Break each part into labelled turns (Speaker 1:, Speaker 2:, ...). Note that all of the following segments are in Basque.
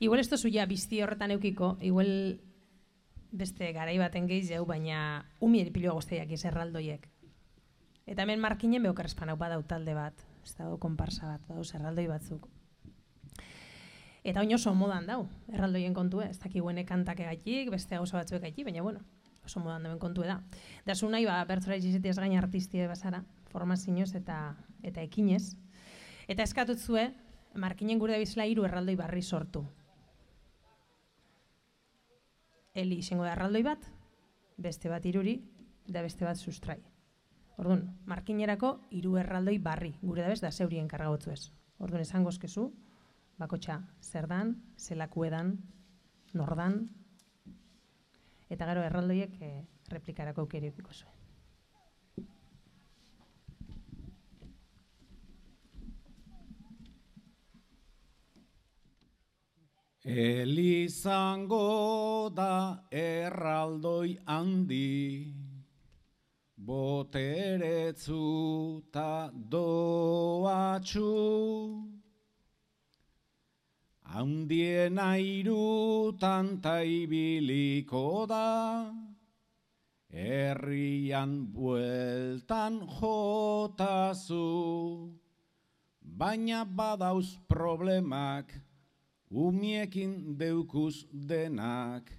Speaker 1: igual ez tozu ja bizti horretan eukiko, igual beste garai baten gehiago, baina umieri piloa guztiak erraldoiek. Eta hemen markinen beokarrespan hau badau talde bat, ez dago konparsa bat, badau erraldoi batzuk. Eta oin oso modan dau, erraldoien kontue, ez dakiguene kantak egaitik, beste gauza batzuek egaitik, baina bueno, oso modan dauen kontue da. Da zu nahi, bertzora izizetiaz gain artistie bazara, formazioz eta ekinez. Eta eskatutzue, markinen gure da bizela 3 erraldoi barri sortu. Eli izango da erraldoi bat, beste bat 3 da beste bat sustrai. Orduan, markinerako 3 erraldoi barri, gure da bez da zeurien kargagotzu ez. Orduan, esan gozkezu, bakotxa zer dan, zelaku edan, nordan, eta gero erraldoiek replikarako aukeri edukiko zuen.
Speaker 2: Elizango da erraldoi handi, boteretzu ta doatxu, handiena 3 ta ibiliko da, herrian bueltan jotazu, baina badauz problemak, umiekin deukuz denak,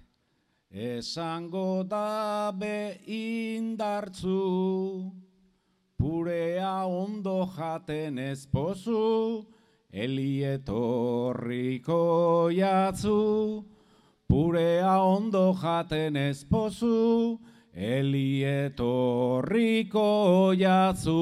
Speaker 2: esango da be indartzu, purea ondo jaten ezpozu, elietorriko jatzu, purea ondo jaten ezpozu, elietorriko jatzu.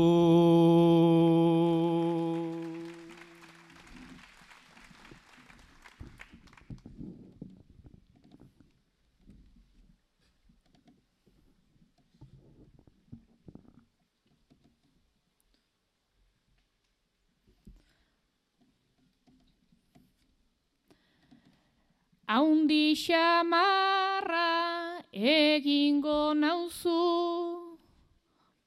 Speaker 3: Haundi xamarra egingo nauzu,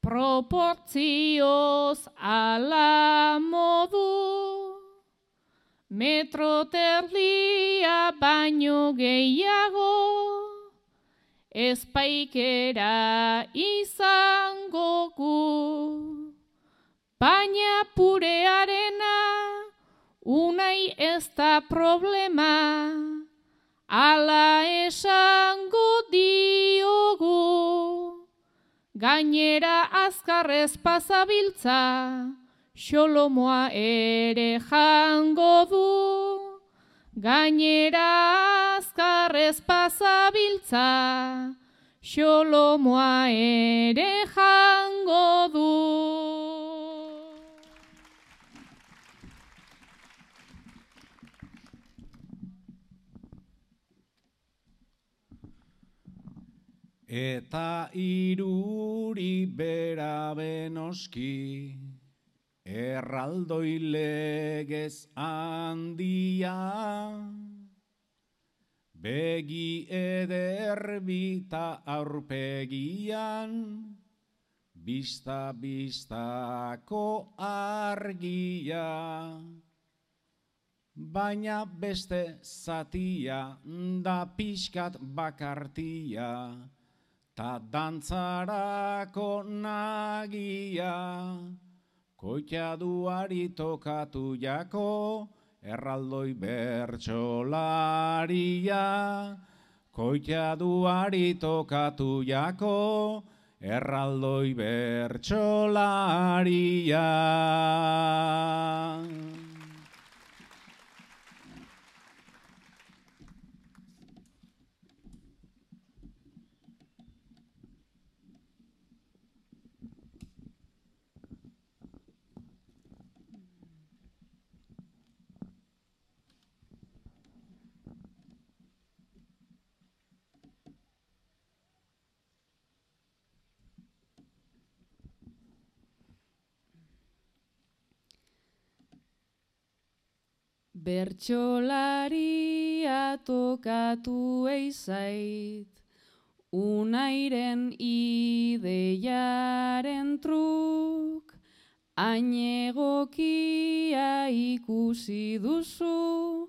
Speaker 3: proportzioz ala modu, metro terdia baino gehiago, espaikera izango gu, baina purearena unai ez da problema, ala esango diogu, gainera azkarrez pasabiltza, xolomoa ere jango du. Gainera azkarrez pasabiltza, xolomoa ere jango du.
Speaker 2: Eta 3 bera benoski, erraldoi legez handia, begi ederbita aurpegian, bistako argia, baina beste zatia da pixkat bakartia, ta dantzarako nagia, koitxaduari tokatu jako, erraldoi bertsolaria. Koitxaduari tokatu jako, erraldoi bertsolaria.
Speaker 3: Bertsolaria tokatu eizait, unairen ideiaren truk, hain egokia ikusi duzu,